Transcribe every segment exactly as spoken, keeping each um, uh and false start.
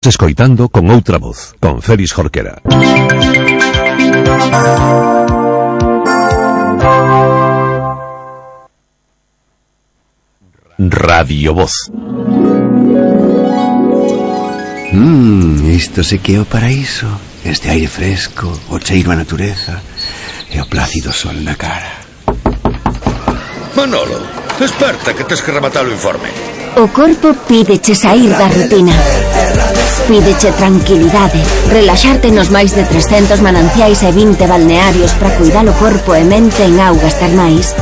Escoitando con outra voz, con Félix Jorquera. Radio Voz. Mmm, isto se que é o paraíso. Este aire fresco, o cheiro a natureza e o plácido sol na cara. Manolo, desperta que tes que rematar o informe. O corpo pídeche sair da rutina. Pídeche tranquilidade, relaxarte nos máis de trescentos mananciais e vinte balnearios para cuidar o corpo e mente en augas termais.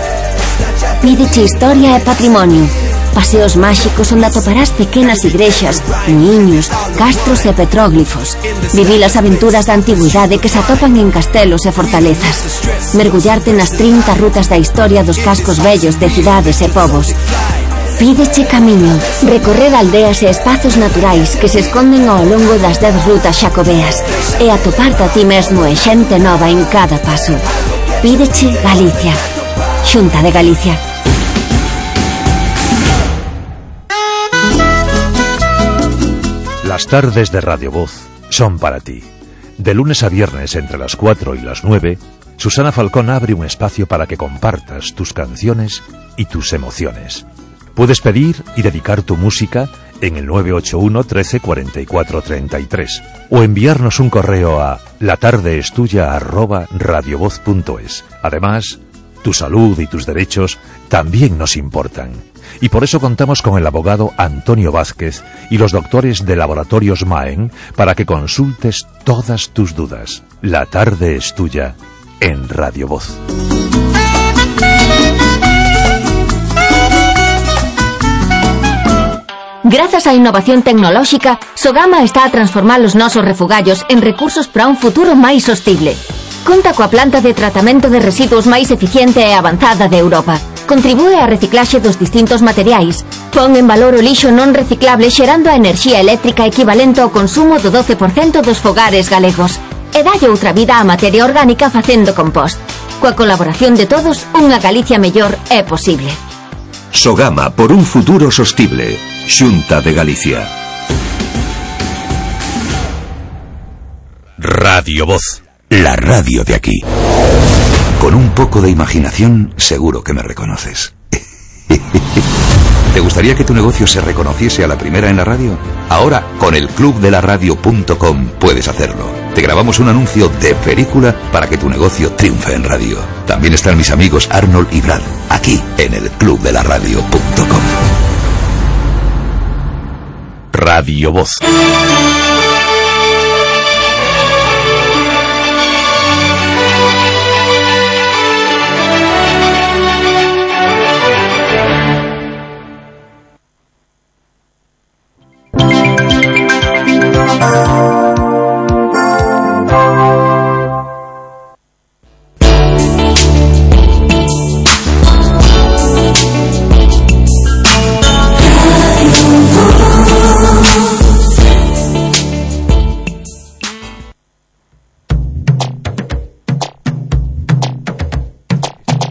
Pídeche historia e patrimonio, paseos máxicos onde atoparás pequenas igrexas, muiños, castros e petróglifos. Vivir as aventuras da antigüidade que se atopan en castelos e fortalezas. Mergullarte nas trinta rutas da historia dos cascos vellos de cidades e povos. Pídeche camiño, recorrer aldeas e espazos naturais que se esconden ao longo das dez rutas xacobeas e atoparte a ti mesmo e xente nova en cada paso. Pídeche Galicia. Xunta de Galicia. Las tardes de Radio Voz son para ti. De lunes a viernes entre las cuatro y las nueve, Susana Falcón abre un espacio para que compartas tus canciones y tus emociones. Puedes pedir y dedicar tu música en el nueve ocho uno, trece, cuarenta y cuatro, treinta y tres o enviarnos un correo a latardeestuya arroba radiovoz punto es. Además, tu salud y tus derechos también nos importan. Y por eso contamos con el abogado Antonio Vázquez y los doctores de Laboratorios Maen para que consultes todas tus dudas. La tarde es tuya en Radio Voz. Grazas á innovación tecnolóxica, Sogama está a transformar os nosos refugallos en recursos para un futuro máis sostible. Conta coa planta de tratamento de residuos máis eficiente e avanzada de Europa. Contribúe á reciclaxe dos distintos materiais. Pon en valor o lixo non reciclable xerando a enerxía eléctrica equivalente ao consumo do doce por cento dos fogares galegos. E dalle outra vida á materia orgánica facendo compost. Coa colaboración de todos, unha Galicia mellor é posible. Sogama por un futuro sostible. Xunta de Galicia. Radio Voz. La radio de aquí. Con un poco de imaginación, seguro que me reconoces. ¿Te gustaría que tu negocio se reconociese a la primera en la radio? Ahora, con el club de la radio punto com puedes hacerlo. Te grabamos un anuncio de película para que tu negocio triunfe en radio. También están mis amigos Arnold y Brad, aquí en el club de la radio punto com. Radio Voz.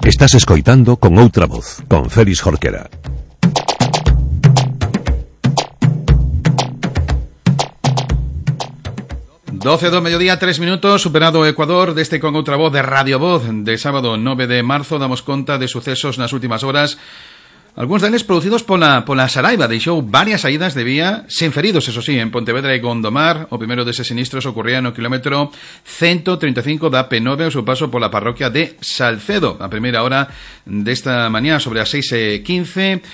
Estás escoitando con outra voz, con Félix Jorquera. doce do mediodía, tres minutos, superado o Ecuador deste con outra voz de Radio Voz de sábado nove de marzo. Damos conta de sucesos nas últimas horas. Algúns deles producidos pola, pola Saraiva. Deixou varias saídas de vía, sen feridos, eso sí, en Pontevedra e Gondomar. O primeiro deses sinistros ocorría no kilómetro ciento treinta e cinco da P nove ao seu paso pola parroquia de Salcedo. A primeira hora desta mañá, sobre as seis e quince,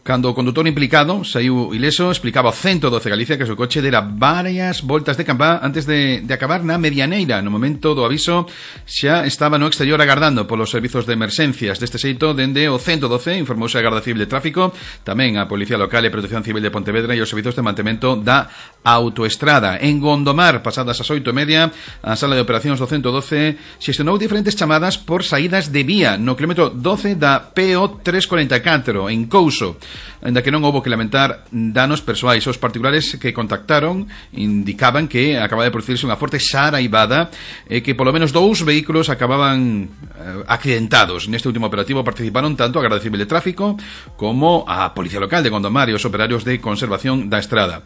cando o condutor implicado saiu ileso, explicaba o ciento doce Galicia que o seu coche dera varias voltas de campá antes de, de acabar na medianeira. No momento do aviso xa estaba no exterior agardando polos servizos de emerxencias. Deste xeito, dende o ciento doce informouse a Garda Civil de Tráfico, tamén a Policía Local e Protección Civil de Pontevedra e os servizos de mantemento da autoestrada. En Gondomar, pasadas as oito e media, a sala de operacións do ciento doce xestionou diferentes chamadas por saídas de vía no kilómetro doce da P O trescentos cuarenta e catro en Couso, ainda que non houbo que lamentar danos persoais. Os particulares que contactaron indicaban que acababa de producirse unha forte xaraibada e que polo menos dous vehículos acababan eh, accidentados. Neste último operativo participaron tanto a Garda Civil de Tráfico como a Policía Local de Gondomar e os operarios de conservación da estrada.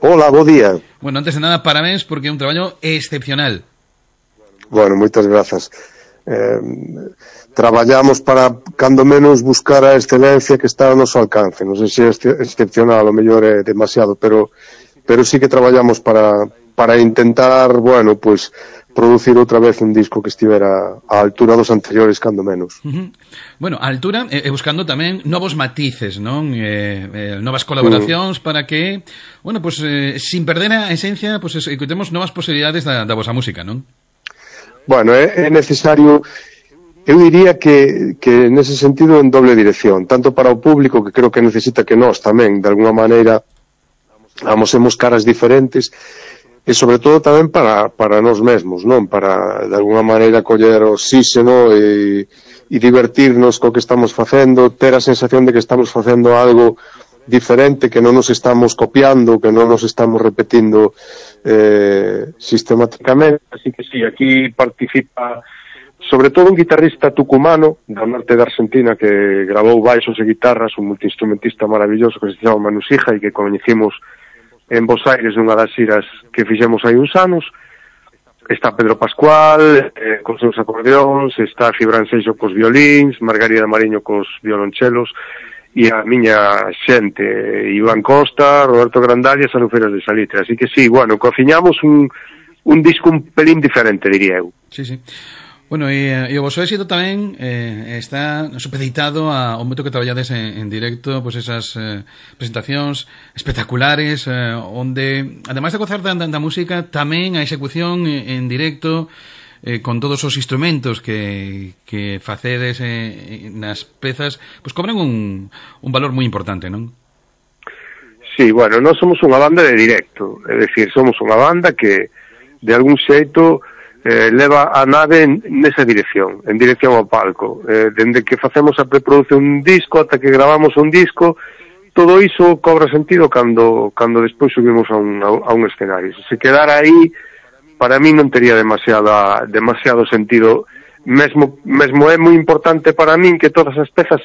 Hola, bo día. Bueno, antes de nada, parabéns porque é un traballo excepcional. Bueno, moitas grazas. Eh, traballamos para, cando menos, buscar a excelencia que está ao noso alcance. Non sei se é excepcional, o mellor é demasiado, pero pero sí que traballamos para para intentar, bueno, pues producir outra vez un disco que estivera á altura dos anteriores, cando menos. Uh-huh. Bueno, a altura, e eh, buscando tamén novos matices, non? Eh, eh, novas colaboracións uh. para que, bueno, pues eh, sin perder a esencia, pues escutemos novas posibilidades da, da vosa música, non? Bueno, é, é necesario, eu diría que, que nese sentido en doble dirección, tanto para o público, que creo que necesita que nós tamén, de alguna maneira, amosemos caras diferentes, e sobre todo tamén para, para nós mesmos, non? Para, de alguna maneira, coller oxígeno e, e divertirnos co que estamos facendo, ter a sensación de que estamos facendo algo diferente, que non nos estamos copiando, que non nos estamos repetindo eh, sistemáticamente. Así que sí, aquí participa sobre todo un guitarrista tucumano do norte de Argentina que grabou baixos e guitarras, un multiinstrumentista maravilloso que se chama Manu Sija e que coñecimos en Bos Aires nunha das xiras que fixemos hai uns anos. Está Pedro Pascual eh, cos seus acordeóns, está Gibran Seixo cos violíns, Margarida Mariño cos violonchelos e a miña xente, Iván Costa, Roberto Grandal e as Alufeiras de Salitre. Así que sí, bueno, cociñamos un, un disco un pelín diferente, diría eu. Sí, sí. Bueno, e, e o vosso éxito tamén eh, está supeditado ao moito que traballades en, en directo, pois pues esas eh, presentacións espectaculares, eh, onde, ademais de gozar da, da música, tamén a execución en directo, eh, con todos os instrumentos que, que facedes eh, nas pezas, pois pues cobran un, un valor moi importante, non? Sí, bueno, nós somos unha banda de directo, é dicir, somos unha banda que, de algún xeito, Eh, leva a nave en, nesa dirección, en dirección ao palco. Eh, dende que facemos a preproducción un disco ata que gravamos un disco, todo iso cobra sentido cando cando despois subimos a un, a, a un escenario. Se se quedara aí, para mí non tería demasiada, demasiado sentido. Mesmo, mesmo é moi importante para min que todas as pezas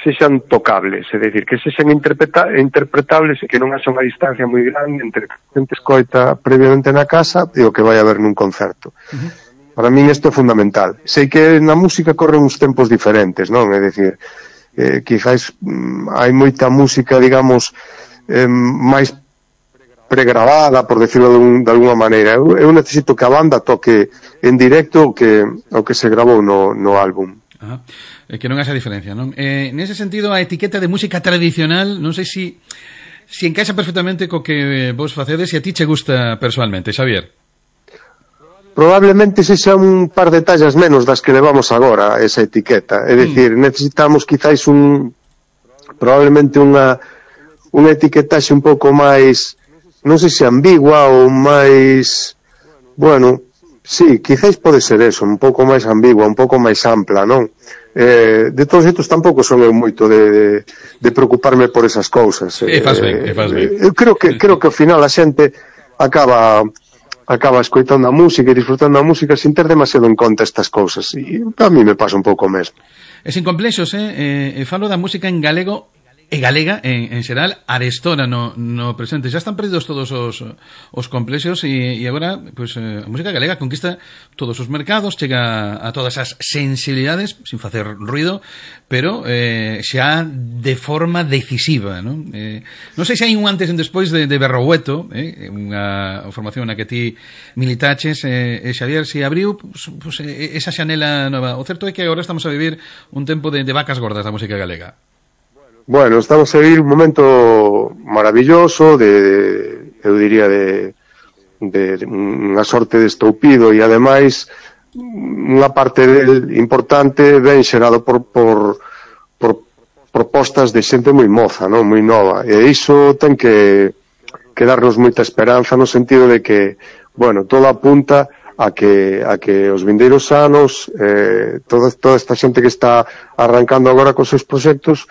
sexan tocables, é dicir, que sexan interpreta interpretables e que non haxa unha distancia moi grande entre a xente escoita previamente na casa e o que vai haber nun concerto. Uh-huh. Para min isto é fundamental. Sei que na música corren uns tempos diferentes, non? É dicir, eh, quizás mm, hai moita música, digamos, eh, máis pregrabada, por decirlo de, un, de alguna maneira. Eu, eu necesito que a banda toque en directo o que, o que se grabou no, no álbum. Ajá. Eh, que non haxa diferencia, non? Eh, nese sentido, a etiqueta de música tradicional, non sei si si encaixa perfectamente co que vos facedes e a ti che gusta personalmente, Xavier. Probablemente se xa un par de tallas menos das que levamos agora esa etiqueta, é dicir, mm. necesitamos quizáis un probablemente unha unha etiquetaxe un pouco máis, non sei se ambigua ou máis, bueno, sí, quizáis pode ser eso, un pouco máis ambigua, un pouco máis ampla, non? Eh, de todos estos tampouco son eu moito de, de, de preocuparme por esas cousas. E eh, faz ben, e faz ben. Eu creo que, creo que ao final a xente acaba acaba escoitando a música e disfrutando a música sin ter demasiado en conta estas cousas. E a mí me pasa un pouco mesmo. E sin complexos, eh? eh falo da música en galego e galega en, en xeral arestora no, no presente. Já están perdidos todos os, os complexos e, e agora pues, eh, a música galega conquista todos os mercados, chega a todas as sensibilidades sin facer ruido, pero eh, xa de forma decisiva, non? Eh, non sei se hai un antes e un despois de, de Berrogueto, eh, unha formación na que ti militaches, eh, e Xavier, se abriu pues, pues, esa xanela nova. O certo é que agora estamos a vivir un tempo de, de vacas gordas da música galega. Bueno, estamos a vivir un momento maravilloso, de, eu diría, de, de, de unha sorte de estoupido e, ademais, unha parte del importante ben xerado por, por, por propostas de xente moi moza, non? Moi nova. E iso ten que, que darnos moita esperanza no sentido de que, bueno, todo apunta a que, a que os vindeiros anos, eh, toda, toda esta xente que está arrancando agora cos seus proxectos,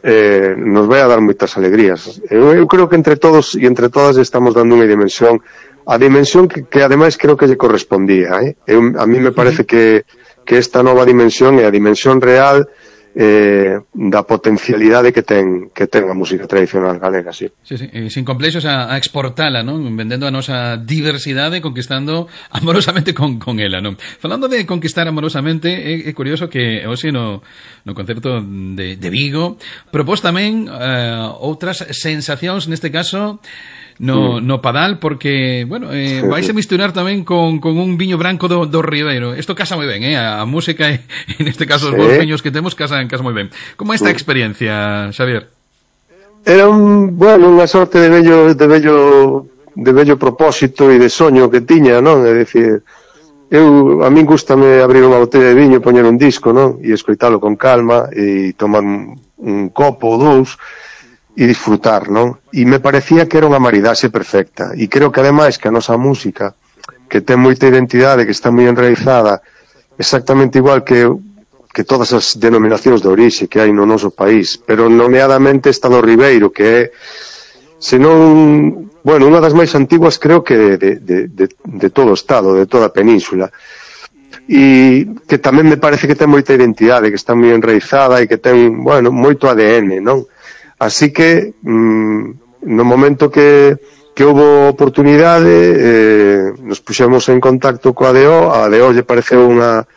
Eh, nos vai a dar moitas alegrías. Eu, eu creo que entre todos e entre todas estamos dando unha dimensión, a dimensión que, que ademais creo que lle correspondía, eh? Eu, a mí me parece que, que esta nova dimensión é a dimensión real eh, da potencialidade que ten que ten a música tradicional galega, sí. Sí, sí, e sin complexos a, a exportala, non? Vendendo a nosa diversidade, conquistando amorosamente con, con ela, non? Falando de conquistar amorosamente, é, é curioso que hoxe no, no concerto de, de Vigo propós tamén eh, outras sensacións, neste caso no, no Padal, porque, bueno, eh, vais a misturar tamén con, con un viño branco do, do Ribeiro. Isto casa moi ben, eh? A música e, neste caso, os sí. bons viños que temos casan, casan moi ben. Como esta experiencia, Xavier? Era un, bueno, unha sorte de bello, de bello, de bello propósito e de soño que tiña, non? É dicir, eu, a min gustame abrir unha botella de viño, poñer un disco, non? E escoitalo con calma e tomar un, un copo ou dous e disfrutar, non? E me parecía que era unha maridaxe perfecta. E creo que ademais que a nosa música, que ten moita identidade, que está moi enraizada, exactamente igual que que todas as denominacións de orixe que hai no noso país, pero nomeadamente esta do Ribeiro, que é, senón, bueno, unha das máis antiguas creo que de, de, de, de todo o estado, de toda a península. E que tamén me parece que ten moita identidade, que está moi enraizada e que ten, bueno, moito A D N, non? Así que, mmm, no momento que, que houve oportunidade, eh, nos puxemos en contacto coa A D O, a A D O lle pareceu unha,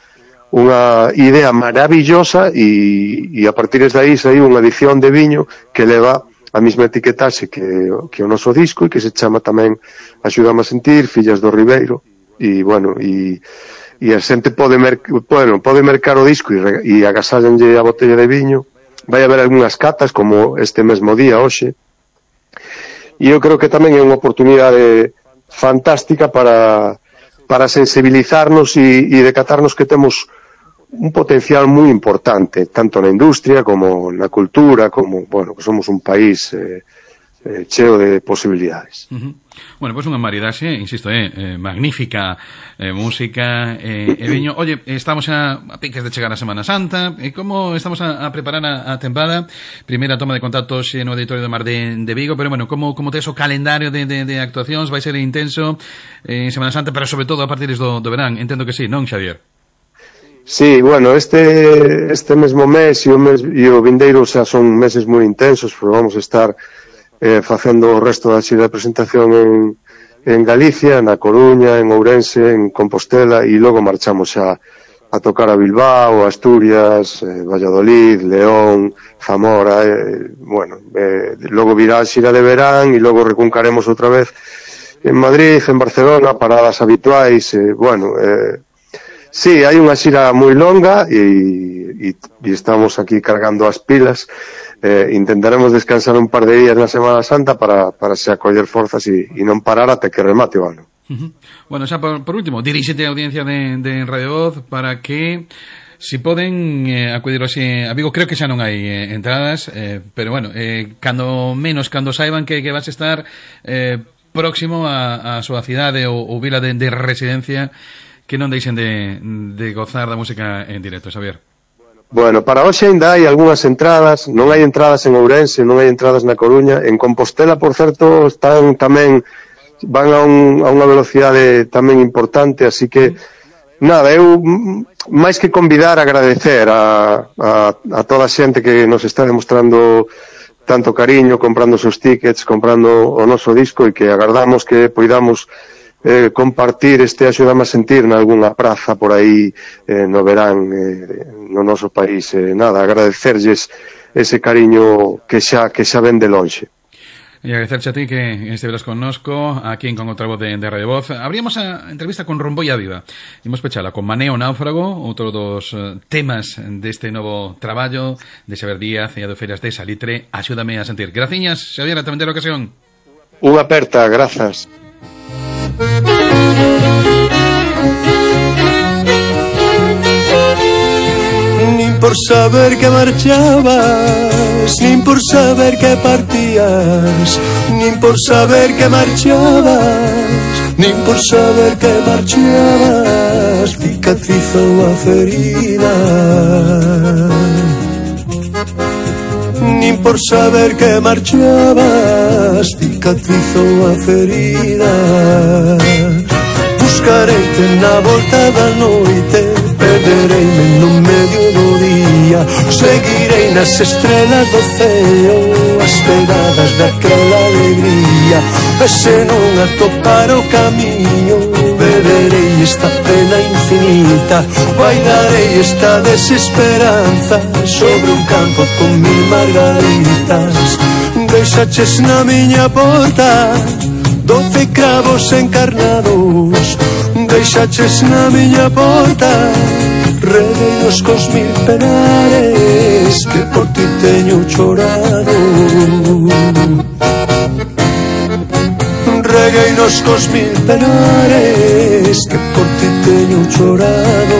unha idea maravillosa e, e a partir de aí saiu unha edición de viño que leva a mesma etiquetaxe que, que o noso disco e que se chama tamén Axúdame a sentir, Fillas do Ribeiro. E, bueno, e, e a xente pode, mer, bueno, pode mercar o disco e, e agasallenlle a botella de viño. Vai haber algunhas catas como este mesmo día hoxe e eu creo que tamén é unha oportunidade fantástica para, para sensibilizarnos e, e decatarnos que temos un potencial moi importante tanto na industria como na cultura, como, bueno, que somos un país eh, eh, cheo de posibilidades. Uh-huh. Bueno, pois pues unha maridaxe, insisto, eh, eh, magnífica eh, música e eh, viño. Oye, estamos a, a piques de chegar a Semana Santa, e como estamos a, a preparar a, a tempada, primeira toma de contactos no Auditorio do Mar de, de Vigo, pero bueno, como, como tes o calendario de, de, de actuacións, vai ser intenso en eh, Semana Santa, pero sobre todo a partir do, do verán, entendo que sí, non, Xavier? Sí, bueno, este este mesmo mes e o, mes, e o vindeiro xa son meses moi intensos, pero vamos a estar eh, facendo o resto da xira de presentación en, en Galicia, na Coruña, en Ourense, en Compostela, e logo marchamos xa a tocar a Bilbao, Asturias, eh, Valladolid, León, Zamora, eh, bueno, eh, logo virá a xira de verán e logo recuncaremos outra vez en Madrid, en Barcelona, paradas habituais, eh, bueno, eh, sí, hai unha xira moi longa e, e, e estamos aquí cargando as pilas. Eh, intentaremos descansar un par de días na Semana Santa para, para se acoller forzas e, e non parar até que remate o ano. Uh-huh. Bueno, xa por, por último, diríxete a audiencia de, de Radio Voz para que si poden eh, acudir hoxe a Vigo, creo que xa non hai eh, entradas, eh, pero bueno, eh, cando menos, cando saiban que, que vas a estar eh, próximo a, a súa cidade ou, ou vila de, de residencia, que non deixen de, de gozar da música en directo, Xavier. Bueno, para hoxe ainda hai algunhas entradas, non hai entradas en Ourense, non hai entradas na Coruña, en Compostela, por certo, están tamén, van a, un, a unha velocidade tamén importante, así que, nada, eu, máis que convidar, agradecer a, a, a toda a xente que nos está demostrando tanto cariño, comprando os seus tickets, comprando o noso disco, e que agardamos que poidamos Eh, compartir este Axúdame a sentir nalgúna praza por aí eh, no verán eh, no noso país. Eh, nada, agradecerlles ese cariño que xa, que xa ven de lonxe. E agradecerche a ti que estiveras connosco aquí en Con Outra Voz de, de Radio Voz. Abríamos a entrevista con Romboia Viva. Imos pechala con Maneo Náufrago, outro dos uh, temas deste novo traballo de Xavier Díaz e a do Feiras de Salitre, Axúdame a sentir. Graciñas, Xavier, a tamén ter ocasión. Unha aperta, grazas. Nin por saber que marchabas, nin por saber que partías, nin por saber que marchabas, nin por saber que marchabas, cicatrizou a ferida. Nin por saber que marchabas, cicatrizou a ferida. Buscareite na volta da noite, perdereime no medio do día. día. Seguirei nas estrelas do ceo, as pegadas daquela alegría. E se non atopar o camiño, beberei esta pena infinita. Bailarei esta desesperanza sobre un campo con mil margaritas. Deixaches na miña porta doce cravos encarnados. Deixaches na miña porta redeiros cos mil penares que por ti teño chorado. Regueinos cos mil penares que por ti teño chorado.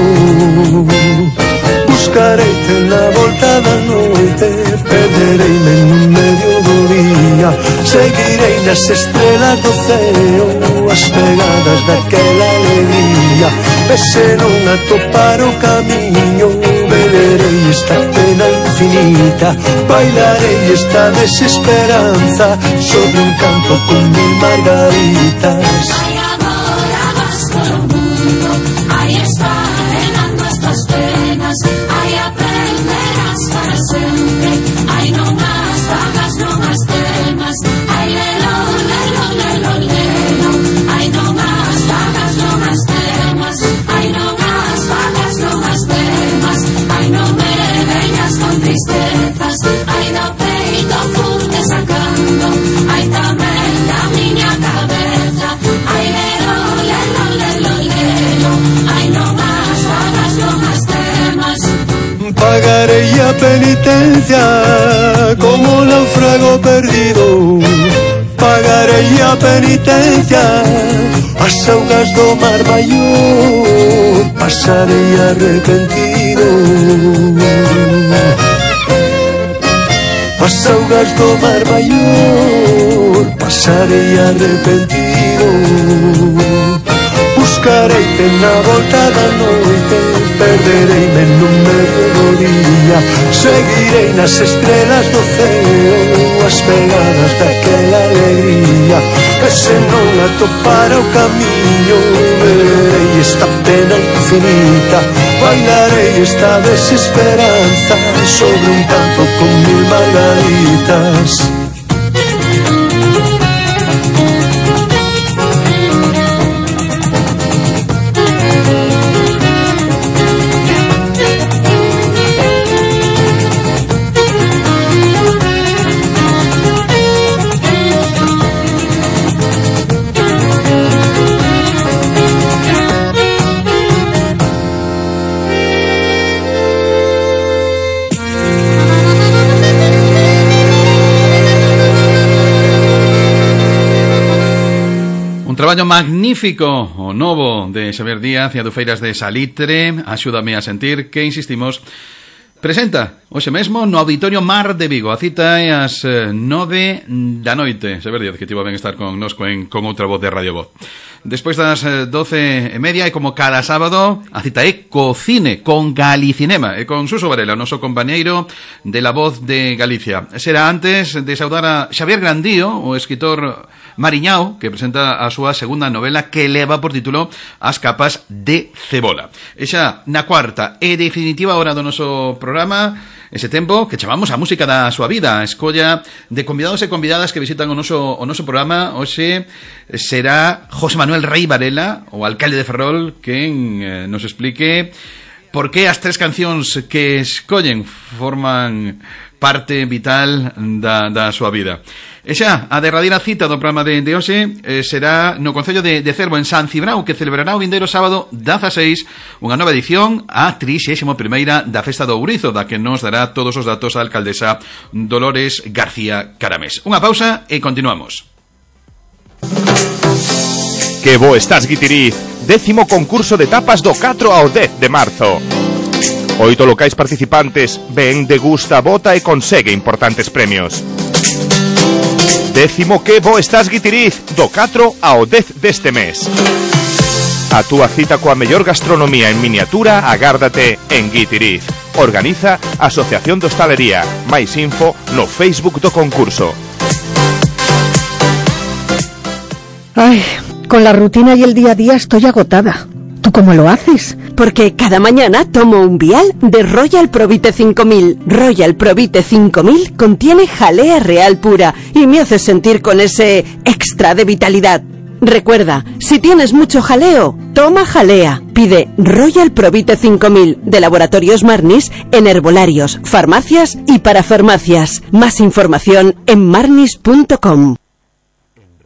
Buscareite na volta da noite, perdereime no medio do día. Seguirei nas estrelas do ceo, as pegadas daquela alegría. E se non atopar o camiño, beberei esta pena infinita. Bailarei esta desesperanza sobre un campo con mil margaritas. Ay, agora vas por o mundo, aí esfarenando estas penas. Ai, aprenderás para sempre. Ai, non as vagas, non as temas. Ai, lelo, lelo, lelo, lelo. Ai, non as vagas, non as temas. Ai, non as vagas, non as temas. Ai, non me veñas con tristezas. Ai, do peito furte sacando. Ai, tamén da miña cabeza. Ai, lelo, lelo, lelo, lelo. Ai, non as vagas, non as temas. Pagarei a penitencia como náufrago perdido. Pagarei a penitencia as augas do mar maior. Pasarei arrepentido as augas do mar maior. Pasarei arrepentido. Buscareite na volta da noite, perdereime no medio do día. Seguirei nas estrelas do ceo, as pegadas daquela alegría. E se non atopar o camiño, beberei esta pena infinita. Bailarei esta desesperanza sobre un campo con mil margaritas. Traballo magnífico o novo de Xavier Díaz e Adufeiras de Salitre, Axúdame a sentir, que insistimos presenta hoxe mesmo no Auditorio Mar de Vigo. A cita é ás nove da noite. Xavier Díaz, que tivo ben estar con nosco en Con Outra Voz de Radio Voz. Despois das doce e media, e como cada sábado, a cita é co cine, con Galicinema, e con Suso Varela, o noso compañeiro de La Voz de Galicia. Será antes de saudar a Xavier Grandío, o escritor mariñao, que presenta a súa segunda novela, que leva por título As capas de cebola. E xa na cuarta e definitiva hora do noso programa, ese tempo que chamamos a música da súa vida, a escolla de convidados e convidadas que visitan o noso, o noso programa. Hoxe será José Manuel Rey Varela, o alcalde de Ferrol, quen eh, nos explique por que as tres cancións que escollen forman parte vital da, da súa vida. E xa, a derradeira cita do programa de, de hoxe eh, será no Concello de, de Cervo, en San Cibrao, que celebrará o vindeiro sábado dezaseis unha nova edición, a trixésima primeira da Festa do Ourizo, da que nos dará todos os datos a alcaldesa Dolores García Caramés. Unha pausa e continuamos. Que bo estás, Guitiriz! Décimo concurso de tapas do catro ao dez de marzo. Oito locais participantes, ven, degusta, vota e consegue importantes premios. Décimo que bo estás, Guitiriz, do catro ao dez deste mes. A túa cita coa mellor gastronomía en miniatura agárdate en Guitiriz. Organiza Asociación de Hostalería. Mais info no Facebook do concurso. Ay, con la rutina y el día a día estoy agotada. ¿Tú cómo lo haces? Porque cada mañana tomo un vial de Royal Provite cinco mil. Royal Provite cinco mil contiene jalea real pura y me hace sentir con ese extra de vitalidad. Recuerda, si tienes mucho jaleo, toma jalea. Pide Royal Provite cinco mil de Laboratorios Marnis en herbolarios, farmacias y parafarmacias. Más información en marnis punto com.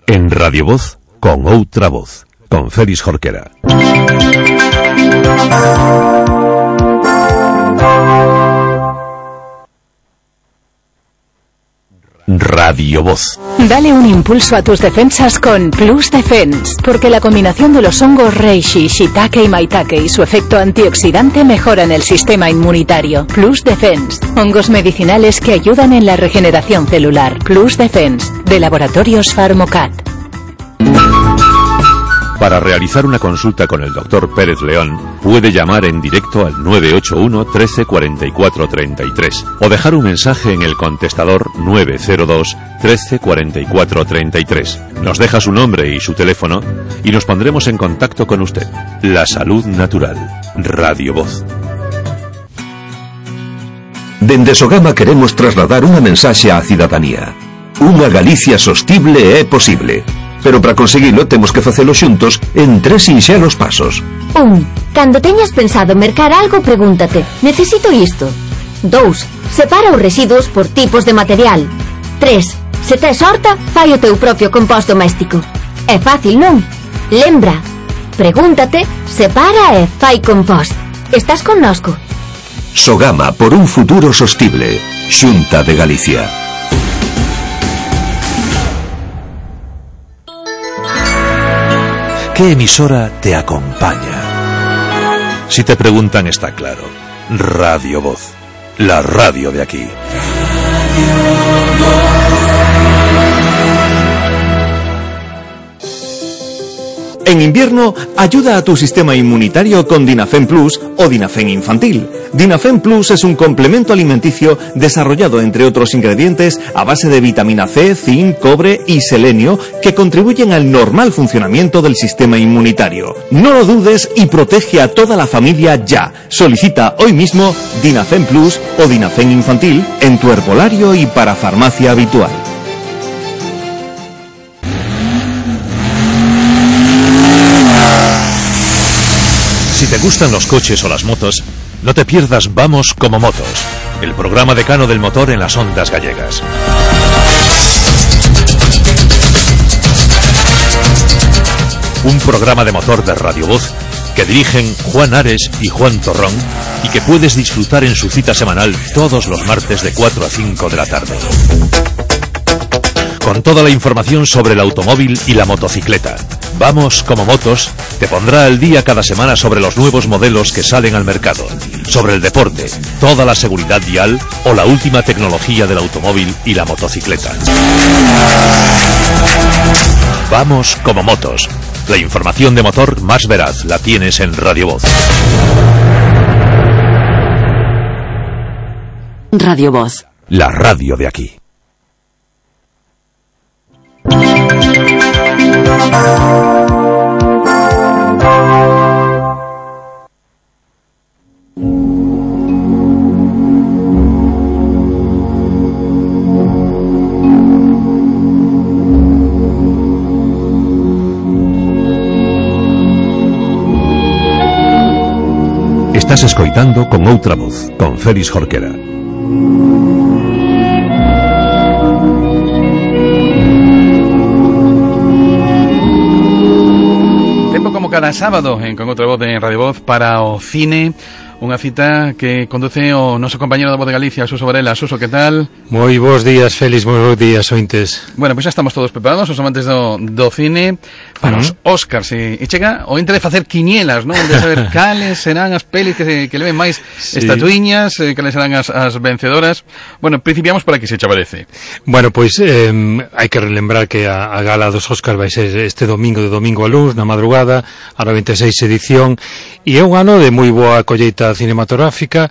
En Radio Voz, con outra voz, con Félix Jorquera. Radio Voz. Dale un impulso a tus defensas con Plus Defense, porque la combinación de los hongos reishi, shiitake y maitake y su efecto antioxidante mejoran el sistema inmunitario. Plus Defense, hongos medicinales que ayudan en la regeneración celular. Plus Defense, de Laboratorios Pharmocat. Para realizar una consulta con el doctor Pérez León, puede llamar en directo al nueve ocho uno, trece, cuarenta y cuatro, treinta y tres o dejar un mensaje en el contestador nueve cero dos, trece, cuarenta y cuatro, treinta y tres. Nos deja su nombre y su teléfono y nos pondremos en contacto con usted. La salud natural. Radio Voz. Dende Sogama queremos trasladar unha mensaxe á cidadanía. Unha Galicia sostible é posible. Pero para conseguilo temos que facelo xuntos en tres sinxelos pasos. Un. Cando teñas pensado mercar algo, pregúntate: necesito isto? Dous. Separa os residuos por tipos de material. Tres. Se tes horta, fai o teu propio compost doméstico. É fácil, non? Lembra. Pregúntate, separa e fai compost. Estás connosco? Sogama por un futuro sostible. Xunta de Galicia. ¿Qué emisora te acompaña? Si te preguntan, está claro. Radio Voz, la radio de aquí. En invierno, ayuda a tu sistema inmunitario con Dinafen Plus o Dinafen Infantil. Dinafen Plus es un complemento alimenticio desarrollado, entre otros ingredientes, a base de vitamina C, zinc, cobre y selenio, que contribuyen al normal funcionamiento del sistema inmunitario. No lo dudes y protege a toda la familia ya. Solicita hoy mismo Dinafen Plus o Dinafen Infantil en tu herbolario y parafarmacia habitual. Si te gustan los coches o las motos, no te pierdas Vamos como Motos, el programa decano del motor en las ondas gallegas. Un programa de motor de Radio Voz que dirigen Juan Ares y Juan Torrón y que puedes disfrutar en su cita semanal todos los martes de cuatro a cinco de la tarde. Con toda la información sobre el automóvil y la motocicleta. Vamos como Motos te pondrá al día cada semana sobre los nuevos modelos que salen al mercado, sobre el deporte, toda la seguridad vial o la última tecnología del automóvil y la motocicleta. Vamos como Motos. La información de motor más veraz la tienes en Radio Voz. Radio Voz. La radio de aquí. Estás escoitando Con Outra Voz, con Félix Jorquera. Tempo como cada sábado en Con Outra Voz en Radio Voz para o cine. Unha cita que conduce o noso compañero da Voz de Galicia, Suso Varela. Suso, que tal? Moi bons días, Félix, moi bons días, ointes. Bueno, pois pues xa estamos todos preparados, os amantes do, do cine, para uh-huh. os Óscars. E, e chega o ente de facer quinielas, non? De saber cales serán as pelis que, que leven máis sí. estatuiñas, eh, cales serán as, as vencedoras. Bueno, principiamos por aquí, se chavarece. Bueno, pois pues, eh, hai que relembrar que a, a gala dos Óscars vai ser este domingo, de domingo a luns, na madrugada, a noventa e seis edición, e é un ano de moi boa colleita cinematográfica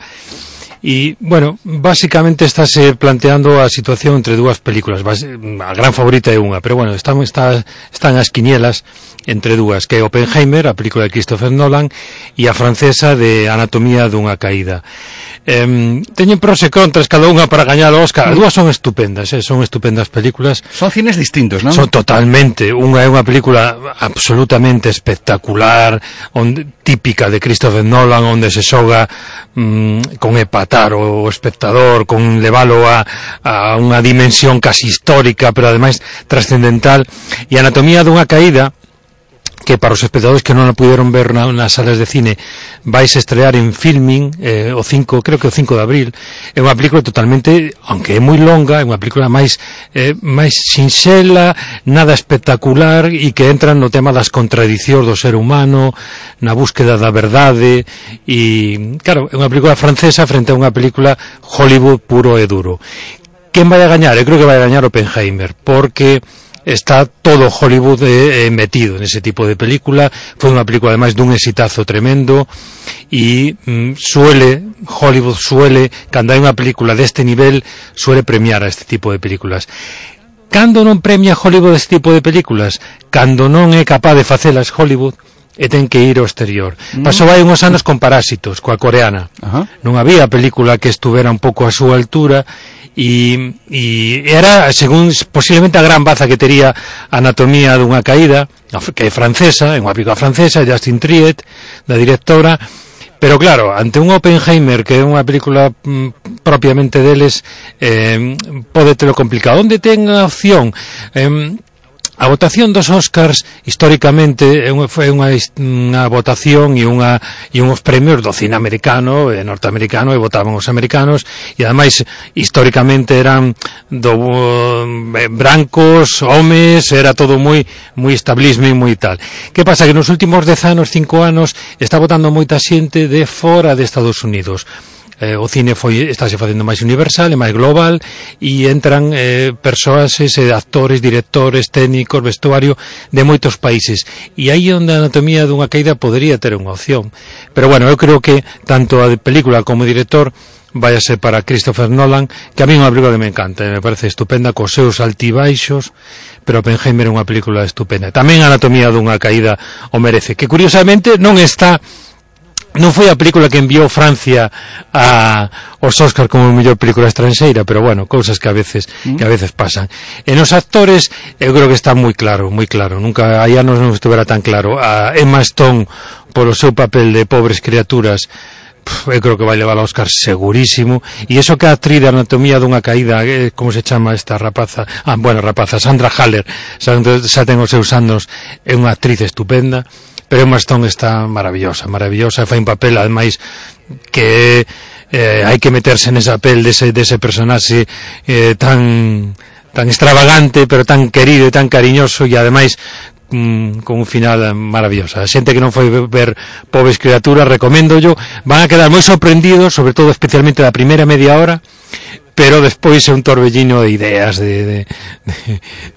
E, bueno, básicamente estáse planteando a situación entre dúas películas. A gran favorita é unha, pero bueno, están, está, están as quinielas entre dúas, que é Oppenheimer, a película de Christopher Nolan, e a francesa de Anatomía dunha caída. Eh, teñen pros e contras cada unha para gañar o Óscar. As dúas son estupendas, eh, son estupendas películas. Son cines distintos, non? Son totalmente. Unha é unha película absolutamente espectacular, onde, típica de Christopher Nolan, onde se xoga mm, con epatar o espectador, con levalo a, a unha dimensión casi histórica, pero ademais trascendental. E Anatomía dunha caída, que para os espectadores que non a puderon ver na, nas salas de cine, vais a estrear en Filming eh, o cinco, creo que o cinco de abril. É unha película totalmente, aunque é moi longa, é unha película máis eh, máis sinxela, nada espectacular, e que entra no tema das contradicións do ser humano, na búsqueda da verdade, e claro, é unha película francesa frente a unha película Hollywood puro e duro. Quen vai a gañar? Eu creo que vai a gañar Oppenheimer, porque está todo Hollywood eh, metido nese tipo de película. Foi unha película ademais dun exitazo tremendo, e mm, suele Hollywood suele, cando hai unha película deste nivel, suele premiar a este tipo de películas. Cando non premia Hollywood este tipo de películas? Cando non é capaz de facelas Hollywood e ten que ir ao exterior. Mm. Pasou hai uns anos con Parásitos, coa coreana. Uh-huh. Non había película que estuvera un pouco a súa altura, e, e era, según, posiblemente a gran baza que tería Anatomía dunha caída, que é francesa, é unha película francesa, Justine Triet, da directora, pero claro, ante un Oppenheimer, que é unha película mm, propiamente deles, eh, pode telo complicado. Onde ten a opción? Eh, A votación dos Óscars históricamente foi unha, unha votación e unha e uns premios do cine americano e norteamericano, e votaban os americanos, e ademais históricamente eran do eh, brancos, homes, era todo moi moi establismo e moi tal. Que pasa? Que nos últimos dez anos, cinco anos, está votando moita xente de fora de Estados Unidos. Eh, o cine foi, estáse facendo máis universal e máis global, e entran eh, persoas, eh, actores, directores, técnicos, vestuario de moitos países, e aí onde a Anatomía dunha caída podería ter unha opción. Pero bueno, eu creo que tanto a película como o director vai a ser para Christopher Nolan, que a mí é unha película que me encanta, me parece estupenda, cos seus altibaixos, pero Oppenheimer é unha película estupenda. Tamén a Anatomía dunha caída o merece, que curiosamente non está, non foi a película que enviou Francia a os Óscar como mellor película estranxeira, pero bueno, cousas que a veces mm. que a veces pasan. En os actores eu creo que está moi claro, moi claro. Nunca hai anos non estuvera tan claro. A Emma Stone polo seu papel de Pobres criaturas, eu creo que vai levar ao Óscar segurísimo. E iso que a actriz de Anatomía dunha caída, eh, como se chama esta rapaza? Ah, bueno, rapaza, Sandra Haller, xa, xa ten os seus anos, é unha actriz estupenda. Pero Emma Stone está maravillosa, maravillosa, fai un papel ademais que eh, hai que meterse nesa pel dese, dese personaxe eh, tan tan extravagante, pero tan querido e tan cariñoso, e ademais mm, con un final maravilloso. A xente que non foi ver Pobres criaturas, recomendo yo, van a quedar moi sorprendidos, sobre todo especialmente da primeira media hora, pero despois é un torbellino de ideas, de, de,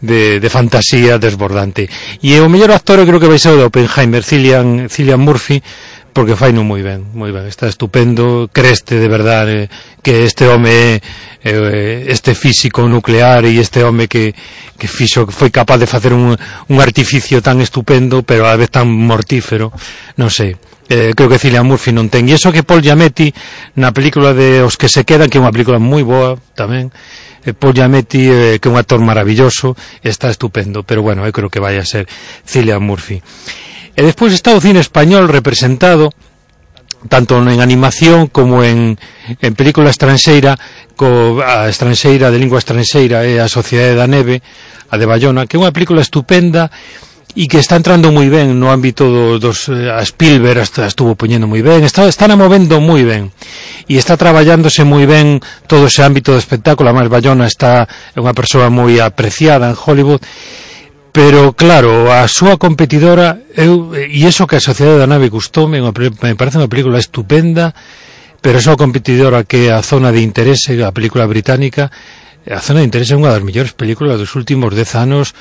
de, de fantasía desbordante. E o mellor actor eu creo que vai ser o de Oppenheimer, Cillian, Cillian Murphy, porque fai non moi ben, moi ben, está estupendo, creste de verdade que este home é este físico nuclear, e este home que, que fixo, que foi capaz de facer un, un artificio tan estupendo, pero a vez tan mortífero, non sei. Eh, creo que Cillian Murphy non ten, e iso que Paul Giamatti na película de Os que se quedan, que é unha película moi boa tamén, eh, Paul Giamatti, eh, que é un actor maravilloso, está estupendo, pero bueno, eu creo que vai a ser Cillian Murphy. E despois está o cine español representado tanto en animación como en, en película estranxeira, co, a estranxeira de lingua estranxeira é A Sociedade da Neve, a de Bayona, que é unha película estupenda e que está entrando moi ben no ámbito do, dos a Spielberg, a estuvo poñendo moi ben, está, está movendo moi ben, e está traballándose moi ben todo ese ámbito do espectáculo. A máis Bayona está é unha persoa moi apreciada en Hollywood, pero claro, a súa competidora, eu, e iso que A Sociedade da Nave gustoume, me parece unha película estupenda, pero a súa competidora, que é A Zona de Interese, a película británica, A Zona de Interese é unha das mellores películas dos últimos dez anos,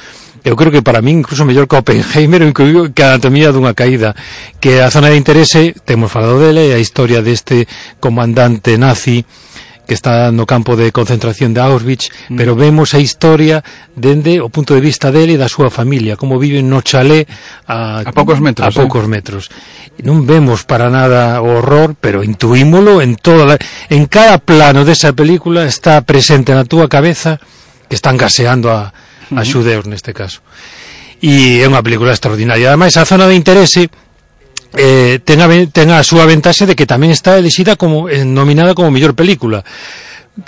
eu creo que para mí incluso mellor que Oppenheimer ou que a Anatomía dunha caída, que a zona de interese, temos falado dele, a historia deste comandante nazi que está no campo de concentración de Auschwitz, mm. pero vemos a historia dende o punto de vista dele e da súa familia, como viven no chalé a, a poucos metros. A poucos eh? metros. Non vemos para nada o horror, pero intuímolo en toda la, en cada plano desa película está presente na túa cabeza que están gaseando a, a uh-huh. xudeus neste caso. E é unha película extraordinaria. Ademais, a zona de interese Eh, ten, a, ten a súa ventaxe de que tamén está elixida como eh, nominada como mellor película,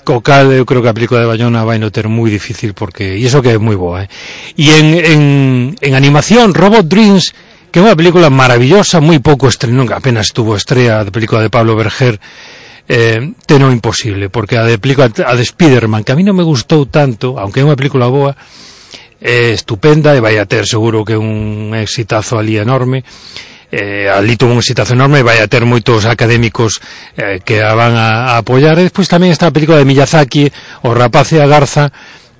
co cal eu creo que a película de Bayona vai no ter moi difícil, porque e iso que é moi boa, eh. E en, en, en animación, Robot Dreams, que é unha película maravillosa, moi pouco estrenó, apenas tuvo estrea de película de Pablo Berger, eh, ten o imposible, porque a de película a de Spiderman, que a mí non me gustou tanto, aunque é unha película boa, é estupenda e vai a ter seguro que un exitazo ali enorme. Eh, ali tuvo un exitazo enorme e vai a ter moitos académicos eh, que a van a, a apoiar. E despois tamén está a película de Miyazaki, O rapaz e a garza,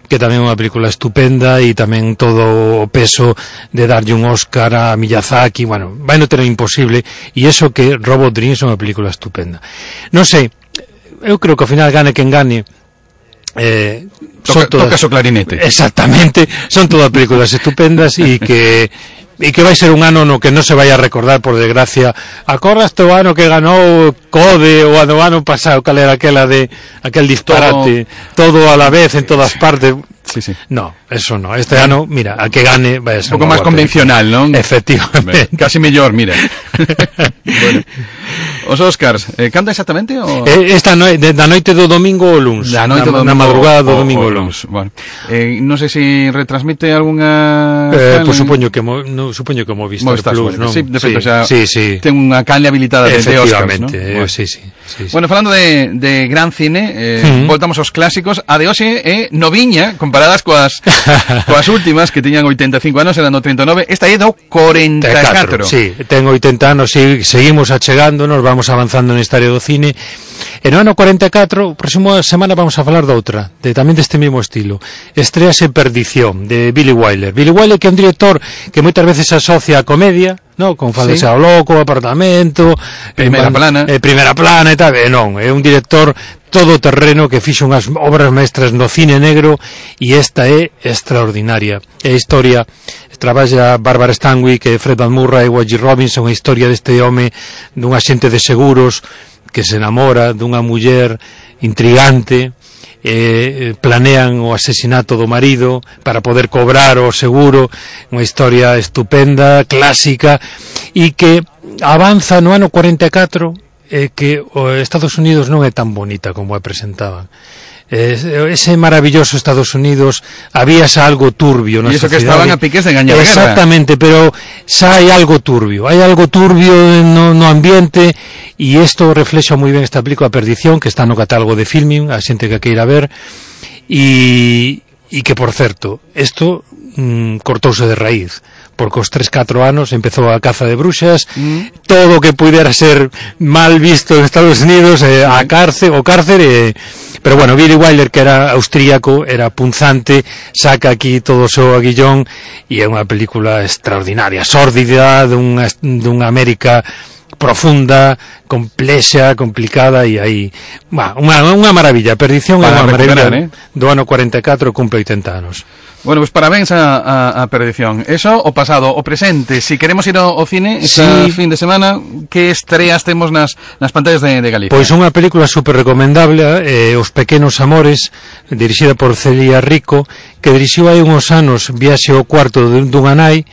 que tamén é unha película estupenda, e tamén todo o peso de darlle un Oscar a Miyazaki, bueno, vai no ter imposible, e eso que Robot Dreams é unha película estupenda. Non sei, eu creo que ao final gane quen gane, eh, Toca, todas, tocas o clarinete. Exactamente, son todas películas estupendas e que e que vai ser un ano no que non se vai a recordar, por desgracia. Acordaste o ano que ganou Code o ano ano pasado, cal era aquela de aquel disparate, todo, todo a la vez en todas partes. Sí, sí. No, eso no. Este ano, mira, a que gane vai a ser un pouco máis convencional, non? Efectivamente. Casi mellor, mira. Bueno. Os Oscars, eh, canta exactamente? O... Eh, esta no, de, da noite do domingo ao luns. Da noite na, do domingo, na madrugada do o, domingo o, ao luns. Bueno. Eh, non sei se si retransmite algunha... Eh, pois pues supoño que mo, no, supoño que Movistar, Movistar Plus, non? Sí, de feito, sí, xa sí, sí. ten unha canle habilitada de, de Oscars, ¿no? Eh, bueno. sí, sí, sí, sí. Bueno, falando de, de gran cine, eh, uh-huh. voltamos aos clásicos. A de hoxe é noviña, comparadas coas coas últimas, que tiñan oitenta e cinco anos, eran do treinta e nove. Esta é do corenta e catro. Sí, ten oitenta anos, sí, seguimos achegándonos, vamos avanzando na historia do cine. E no ano corenta e catro, próxima semana vamos a falar de outra, de, tamén deste mesmo estilo. Estrease Perdición, de Billy Wilder. Billy Wilder, que é un director que moitas veces se asocia a comedia, no, con Faldexa ao Loco, Apartamento, Primeira eh, Plana, eh, Primeira Plana e tal, e non, é un director todoterreno que fixo unhas obras maestras no cine negro, e esta é extraordinaria. É a historia, traballa Barbara Stanwyck, Fred Van Murray e Wajid Robinson, a historia deste home dun axente de seguros que se enamora dunha muller intrigante, eh, planean o asesinato do marido para poder cobrar o seguro, unha historia estupenda, clásica, e que avanza no ano corenta e catro, eh, que o Estados Unidos non é tan bonita como a presentaban. Eh, ese maravilloso Estados Unidos había xa algo turbio na sociedade. E iso que estaban a piques de gañar a guerra. Exactamente, pero xa hai algo turbio, hai algo turbio no, no ambiente, e isto reflexa moi ben esta película Perdición, que está no catálogo de Filmin, a xente que queira ver, e, e que, por certo, isto mm, cortouse de raíz, porque os tres catro anos empezou a caza de bruxas, mm. todo o que pudera ser mal visto en Estados Unidos, eh, a cárcel, o cárcel, eh, pero bueno, Billy Wilder, que era austríaco, era punzante, saca aquí todo o seu aguillón, e é unha película extraordinaria, sórdida, dunha, dunha América profunda, complexa, complicada, e aí, bah, unha, unha maravilla. Perdición é unha maravilla, eh? Do ano corenta e catro, cumpre oitenta anos. Bueno, pues parabéns a, a, a Perdición. Eso, o pasado, o presente. Si queremos ir ao, ao cine este sí. fin de semana, que estreas temos nas, nas pantallas de, de Galicia? Pois unha película super recomendable, eh, Os pequenos amores, dirixida por Celia Rico, que dirixiu hai uns anos Viaxe ao cuarto dunha nai,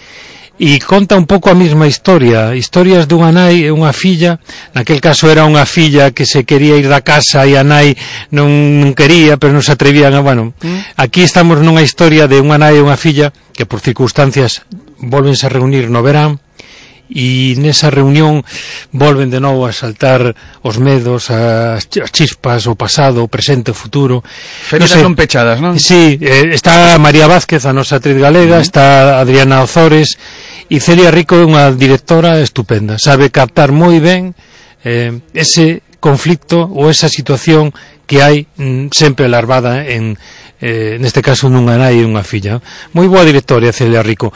e conta un pouco a mesma historia, historias dunha nai e unha filla. Naquel caso era unha filla que se quería ir da casa e a nai non, non quería, pero non se atrevían a, bueno, mm. aquí estamos nunha historia de unha nai e unha filla que por circunstancias volvense a reunir no verán, e nesa reunión volven de novo a saltar os medos, as chispas, o pasado, o presente, o futuro. Feridas non, non pechadas, non? Sí, eh, está María Vázquez, a nosa actriz galega, uh-huh. está Adriana Ozores, e Celia Rico é unha directora estupenda, sabe captar moi ben eh, ese conflicto ou esa situación que hai mm, sempre larvada en, eh, neste caso nunha nai e unha filla. Moi boa directoria, Celia Rico,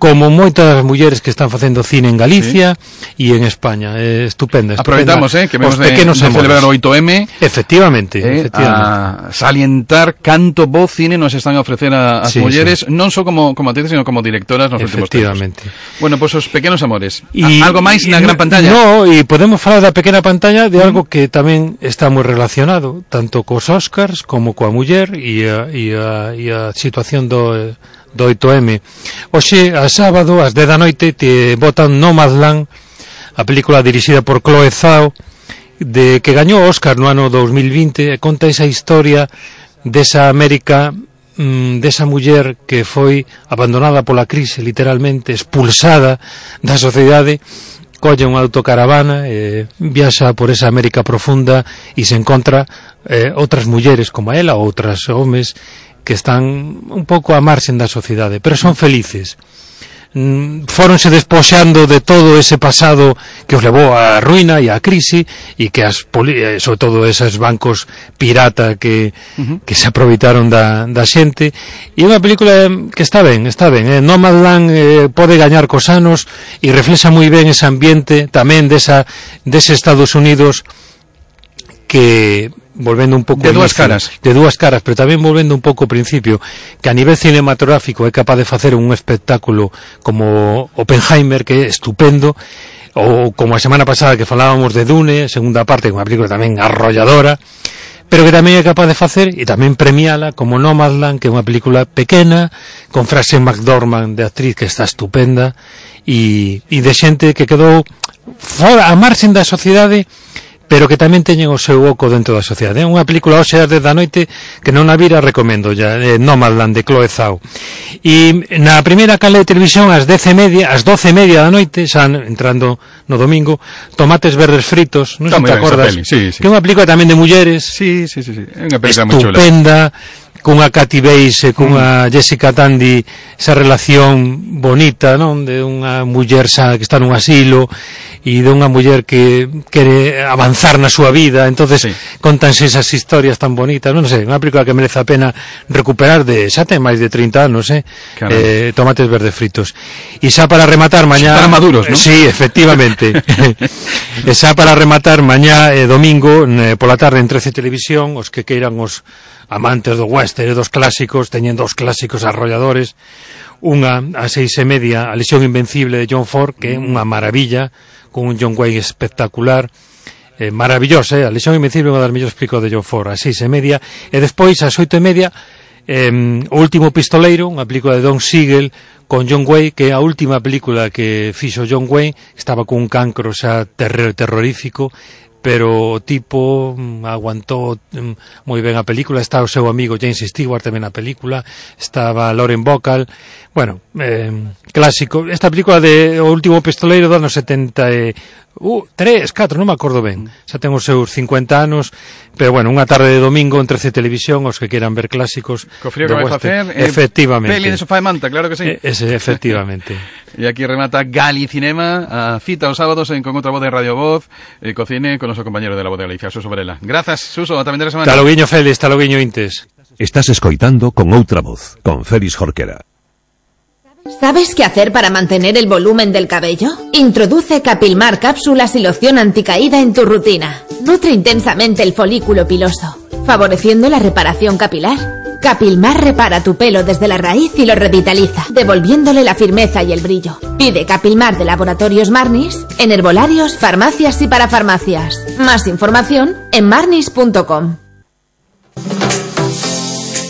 como moitas mulleres que están facendo cine en Galicia e sí. en España. Eh, estupenda, estupenda. Aproveitamos, eh, que vemos de, de celebrar o oito eme. Efectivamente, eh, efectivamente. A salientar canto bo cine nos están a ofrecer a, as sí, mulleres, sí. non só como, como actrices, sino como directoras nos últimos tempos. Efectivamente. Bueno, pois pues, os pequenos amores. Y, algo máis na gran pantalla? No, e podemos falar da pequena pantalla de algo que tamén está moi relacionado, tanto cos Oscars como coa muller e a, e a, e a situación do... do oito eme. Hoxe, a sábado, ás dez da noite, te botan Nomadland, a película dirixida por Chloe Zhao, de que gañou o Oscar no ano dos mil vinte, e conta esa historia desa América, mmm, desa muller que foi abandonada pola crise, literalmente, expulsada da sociedade, colle unha autocaravana, eh, viaxa por esa América profunda e se encontra eh, outras mulleres como ela, outras homes, que están un pouco a marxen da sociedade, pero son felices. Mm, fóronse despoxando de todo ese pasado que os levou á ruína e á crise, e que as sobre todo esos bancos pirata que, uh-huh. que se aproveitaron da, da xente. E unha película que está ben, está ben, eh? Nomadland eh, pode gañar cos anos e reflexa moi ben ese ambiente tamén desa, dese Estados Unidos que volvendo un pouco de dúas caras de dúas caras, pero tamén volvendo un pouco ao principio, que a nivel cinematográfico é capaz de facer un espectáculo como Oppenheimer, que é estupendo, ou como a semana pasada que falábamos de Dune, segunda parte, unha película tamén arrolladora, pero que tamén é capaz de facer e tamén premiala como Nomadland, que é unha película pequena, con Frances McDormand de actriz que está estupenda, e, e de xente que quedou fora, a marxen da sociedade, pero que tamén teñen o seu oco dentro da sociedade. É unha película hoxe ás dez da noite que non a vira, recomendo ya, eh, Nomadland de Chloe Zhao. E na primeira canle de televisión ás dez e media, ás doce e media da noite, xa entrando no domingo, Tomates verdes fritos, non sei se te acordas, sí, sí. que é unha película tamén de mulleres, sí, sí, sí, sí. É unha película moi chula, estupenda, cunha Kathy Bates e cunha mm. Jessica Tandy, esa relación bonita, non, de unha muller xa que está nun asilo e de unha muller que quere avanzar na súa vida, entonces sí. contanse esas historias tan bonitas, non sei, unha película que merece a pena recuperar, de xa ten máis de trinta anos, eh, eh Tomates verdes fritos. E xa para rematar mañá, para maduros, non? Sí, efectivamente. E xa para rematar mañá eh, domingo eh, pola tarde en trece Televisión, os que queiran os amantes do western e dos clásicos, teñen dos clásicos arrolladores, unha a seis e media, A lesión invencible de John Ford, que é unha maravilla, con un John Wayne espectacular, eh, maravillosa, eh? A lesión invencible é unha das mellores películas de John Ford, a seis e media, e despois ás oito e media, eh, O último pistoleiro, unha película de Don Siegel con John Wayne, que é a última película que fixo John Wayne, estaba con un cancro xa terror, terrorífico, pero o tipo mm, aguantou mm, moi ben a película. Está o seu amigo James Stewart tamén na película, estaba Lauren Bacall, bueno, eh, clásico. Esta película de O último pistoleiro do ano setenta e uh, tres, catro, non me acordo ben, xa ten os seus cincuenta anos, pero bueno, unha tarde de domingo en trece Televisión, os que quieran ver clásicos co frío que vai facer, eh, efectivamente, peli de sofá de manta, claro que sí, eh, ese, efectivamente. E aquí remata Gali Cinema, a cita os sábados en Con outra voz de Radio Voz, e cocine con noso compañero de La Voz de Galicia, Suso Varela. Grazas, Suso, ata vendera semana. Taloguiño Félix, taloguiño Intes. Estás escoitando Con outra voz, con Félix Jorquera. ¿Sabes qué hacer para mantener el volumen del cabello? Introduce Capilmar cápsulas y loción anticaída en tu rutina. Nutre intensamente el folículo piloso, favoreciendo la reparación capilar. Capilmar repara tu pelo desde la raíz y lo revitaliza, devolviéndole la firmeza y el brillo. Pide Capilmar de Laboratorios Marnis en herbolarios, farmacias y parafarmacias. Más información en marnis punto com.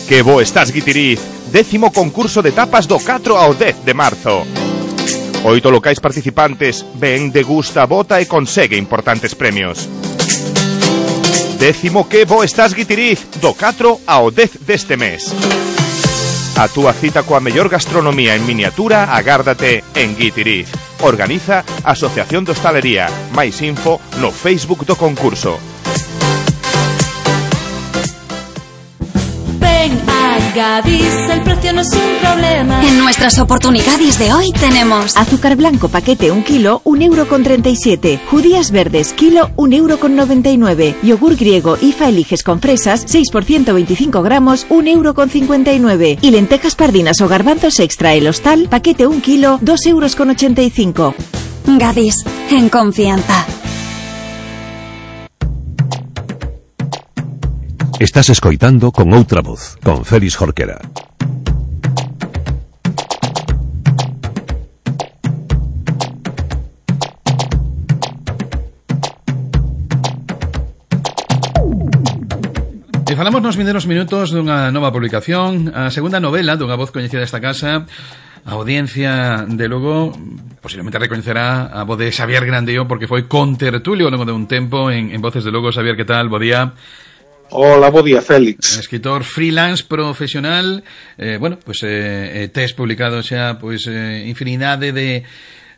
Que bo estás, Guitiriz. Décimo concurso de tapas do catro ao dez de marzo. Oito locais participantes, ven, degusta, vota e consegue importantes premios. Décimo que bo estás, Guitiriz, do catro ao dez deste mes. A túa cita coa mellor gastronomía en miniatura agárdate en Guitiriz. Organiza Asociación de Hostalería. Máis info no Facebook do concurso. Ven a Gadis, el precio no es un problema. En nuestras oportunidades de hoy tenemos azúcar blanco paquete un kilo, un euro con treinta y siete. Judías verdes kilo, un euro con noventa y nueve. Yogur griego I F A Eliges con fresas, seis por ciento veinticinco gramos, un euro con cincuenta y nueve. Y lentejas pardinas o garbanzos extra el hostal, paquete un kilo, dos euros con ochenta y cinco. Gadis, en confianza. Estás escoitando Con Outra Voz, con Félix Jorquera. E falamos nos vindeiros minutos dunha nova publicación, a segunda novela dunha voz coñecida desta casa. A audiencia de Lugo posiblemente reconocerá a voz de Xavier Grandío porque foi contertulio ao longo de un tempo en, en Voces de Lugo. Xavier, que tal? Bo día. Hola, bo día, Félix. Escritor freelance profesional, eh, bueno, pues eh, tes publicado xa pues eh, infinidade de,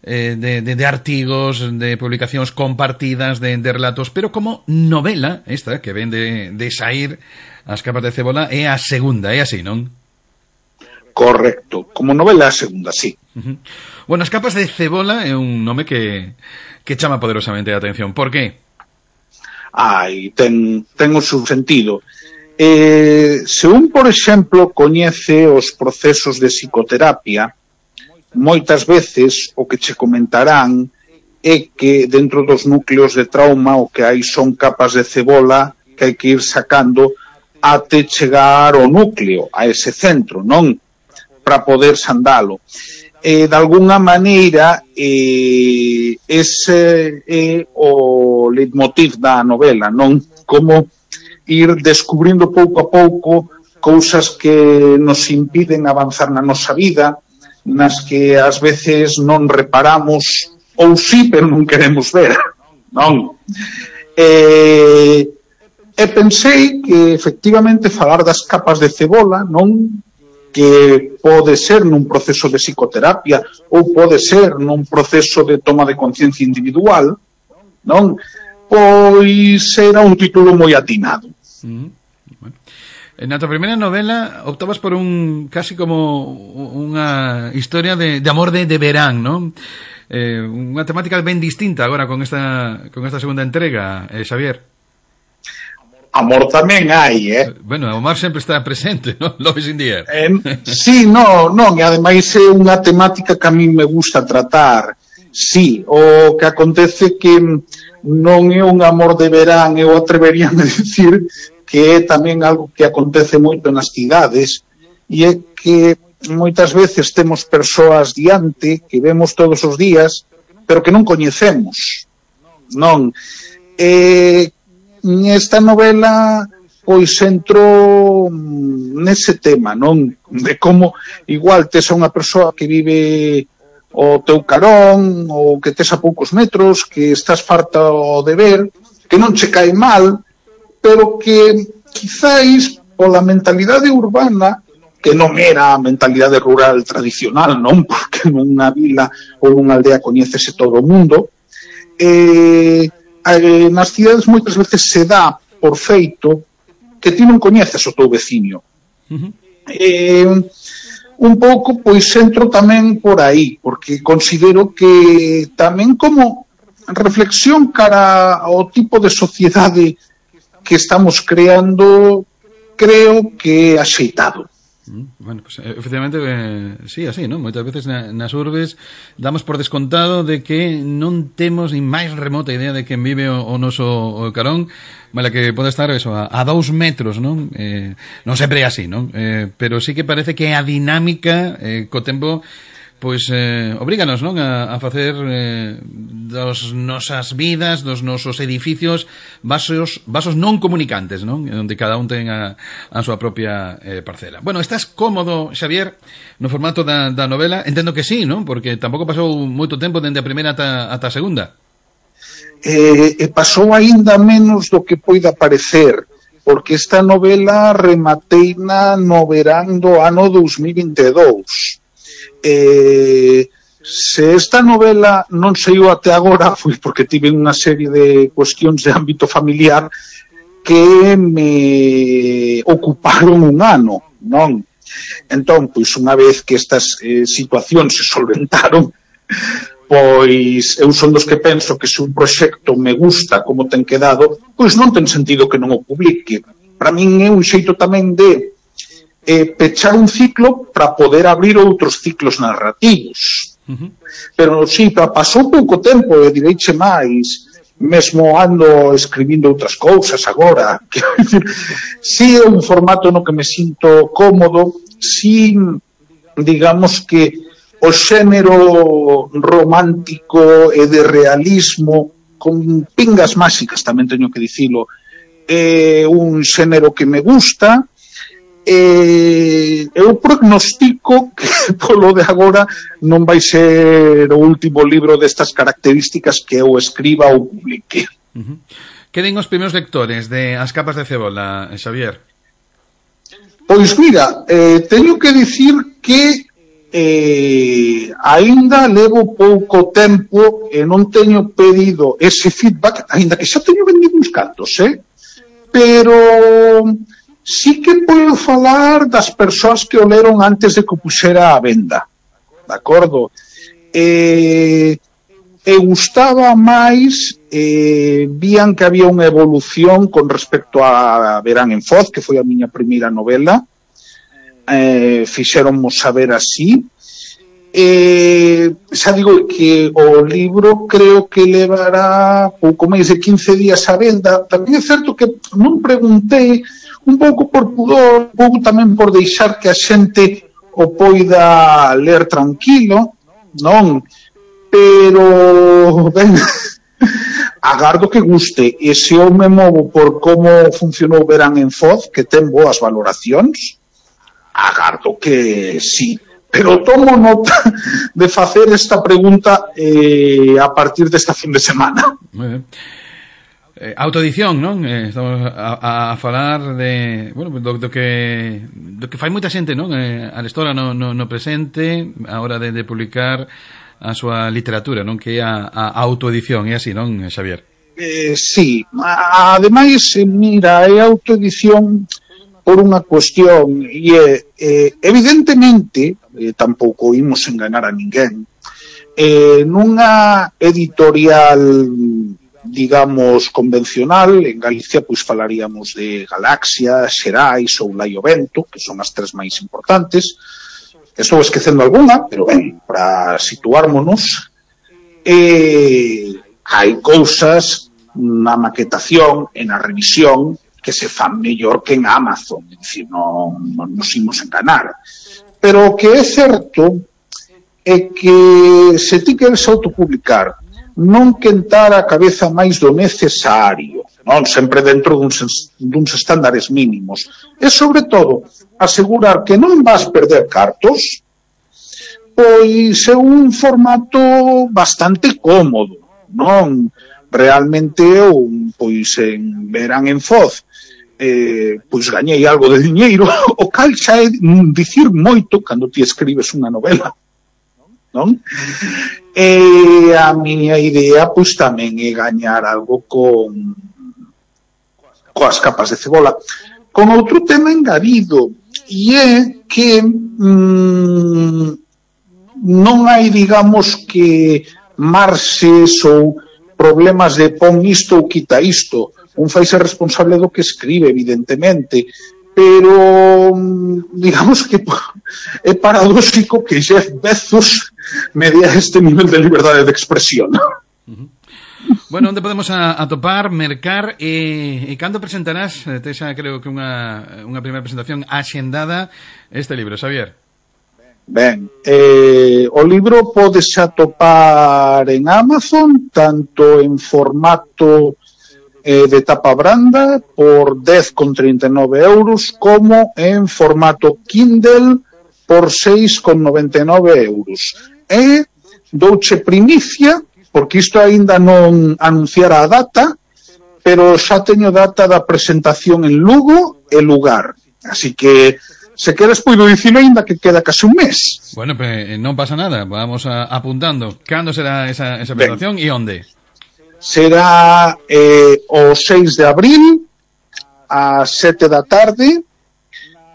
eh, de, de, de artigos, de publicacións compartidas, de, de relatos, pero como novela, esta que ven de, de sair As capas de cebola, é a segunda, é así, non? Correcto, como novela a segunda, sí. Uh-huh. Bueno, As capas de cebola é un nome que, que chama poderosamente a atención. Por que? Ai, ten, ten o seu sentido. Eh, se un, por exemplo, coñece os procesos de psicoterapia, moitas veces o que che comentarán é que dentro dos núcleos de trauma o que hai son capas de cebola que hai que ir sacando até chegar ao núcleo, a ese centro, non? Para poder sandalo. Eh, de alguna maneira eh, ese é o leitmotiv da novela, non? Como ir descubrindo pouco a pouco cousas que nos impiden avanzar na nosa vida, nas que ás veces non reparamos ou sí, pero non queremos ver, non? Eh, e pensei que efectivamente falar das capas de cebola, non? Que pode ser nun proceso de psicoterapia ou pode ser nun proceso de toma de conciencia individual, non? Pois era un título moi atinado. Mm, bueno. Na tua primeira novela optabas por un casi como unha historia de, de amor de, de verán, non? Eh, unha temática ben distinta agora con esta con esta segunda entrega, eh, Xavier. Amor tamén hai, eh? Bueno, o mar sempre está presente, non? Love is in the air. Eh, sí, non, non, e ademais é unha temática que a mí me gusta tratar. Sí, o que acontece que non é un amor de verán, eu atreveríame a dicir que é tamén algo que acontece moito nas cidades, e é que moitas veces temos persoas diante que vemos todos os días, pero que non coñecemos, non? E nesta novela pois entro nese tema, non? De como igual tes a unha persoa que vive o teu carón ou que tes a poucos metros, que estás farta de ver, que non che cae mal, pero que quizáis pola mentalidade urbana, que non era a mentalidade rural tradicional, non? Porque nunha vila ou nunha aldea coñécese todo o mundo, eh, eh, nas cidades moitas veces se dá por feito que ti non coñeces o teu veciño. Uh-huh. Eh, un pouco, pois, entro tamén por aí, porque considero que tamén como reflexión cara ao tipo de sociedade que estamos creando, creo que é axeitado. Bueno, pues efectivamente eh, sí, así, ¿no? Moitas veces na, nas urbes damos por descontado de que non temos ni máis remota idea de quen vive o, o noso o carón, mala que pode estar eso, a, a dous metros, non? Eh, non sempre é así, non? Eh, pero sí que parece que a dinámica eh, co tempo pois eh, obríganos, non, a, a facer eh, dos nosas vidas, dos nosos edificios vasos, vasos non comunicantes, non? Onde cada un ten a, a súa propia eh, parcela. Bueno, estás cómodo, Xavier, no formato da, da novela? Entendo que sí, non? Porque tampouco pasou moito tempo dende a primeira ata, ata a segunda. Eh, e pasou aínda menos do que poida parecer, porque esta novela remateina no verán do ano dos mil e vinte e dous. Eh, se esta novela non saiu até agora foi porque tive unha serie de cuestións de ámbito familiar que me ocuparon un ano, non? Entón, pois, unha vez que estas eh, situacións se solventaron, pois eu son dos que penso que se un proxecto me gusta como ten quedado, pois non ten sentido que non o publique. Para min é un xeito tamén de eh, pechar un ciclo para poder abrir outros ciclos narrativos. Uh-huh. Pero sí, pasou pouco tempo, e direiche máis, mesmo ando escribindo outras cousas agora. Quero dicir, si é un formato no que me sinto cómodo, si digamos que o xénero romántico e de realismo con pingas máxicas, tamén teño que dicilo, é un xénero que me gusta. E eu prognostico que polo de agora non vai ser o último libro destas características que eu escriba ou publique. Uh-huh. Que den os primeiros lectores de As capas de cebola, Xavier? Pois mira, eh, teño que dicir que eh, aínda levo pouco tempo e non teño pedido ese feedback, aínda que xa teño vendido uns cantos, eh? Pero sí que podo falar das persoas que o leron antes de que o puxera a venda, de acordo? E, e gustaba máis, eh, vían que había unha evolución con respecto a Verán en Foz, que foi a miña primeira novela, eh, fixéronmo saber así. Eh, xa digo que o libro creo que levará pouco máis de quince días a venda. Tamén é certo que non preguntei, un pouco por pudor, un pouco tamén por deixar que a xente o poida ler tranquilo, non? Pero, ben, agardo que guste. E se eu me movo por como funcionou Verán en Foz, que ten boas valoracións, agardo que sí. Pero tomo nota de facer esta pregunta eh, a partir desta fin de semana. Moi ben. Eh, autoedición, non? Eh, estamos a, a falar de, bueno, do, do que do que fai moita xente, non? Eh, a lectora no, no, no presente a hora de, de publicar a súa literatura, non? Que é a, a autoedición, é así, non, Xavier? Eh, sí, ademais, mira, é autoedición por unha cuestión, e é, eh, evidentemente, eh, tampouco imos enganar a ninguén, eh, nunha editorial, digamos, convencional, en Galicia pois falaríamos de Galaxia, Xerais ou Laio Vento, que son as tres máis importantes. Estou esquecendo algunha, pero ben, para situármonos, eh, hai cousas na maquetación e na revisión que se fan mellor que en Amazon, é dicir, non, non nos imos enganar. Pero o que é certo é que se ti queres autopublicar, non quentar a cabeza máis do necesario, non? Sempre dentro duns, duns estándares mínimos. E, sobre todo, asegurar que non vas perder cartos, pois é un formato bastante cómodo, non? Realmente, eu, pois, en Verán en Foz, eh, pois gañei algo de diñeiro, o cal xa é dicir moito cando ti escribes unha novela, non? E a miña idea pois tamén é gañar algo con coas capas de cebola, con outro tema engadido, e é que mm, non hai, digamos, que marxes ou problemas de pon isto ou quita isto. Un fai ser responsable do que escribe, evidentemente, pero digamos que é paradóxico que Jeff Bezos me dé este nivel de liberdade de expresión. Uh-huh. Bueno, onde podemos a, atopar, mercar e, e cando presentarás, Tesa, creo que unha, unha primeira presentación axendada este libro, Xavier? Ben, eh, o libro podes atopar en Amazon, tanto en formato eh, de tapa branda por dez con trinta e nove euros, como en formato Kindle por seis con noventa e nove euros. E douche primicia, porque isto aínda non anunciara a data, pero xa teño data da presentación en Lugo e lugar. Así que, se queres, poido dicir aínda que queda case un mes. Bueno, pues non pasa nada, vamos a, apuntando. Cando será esa, esa presentación e onde? Será eh, o seis de abril ás sete da tarde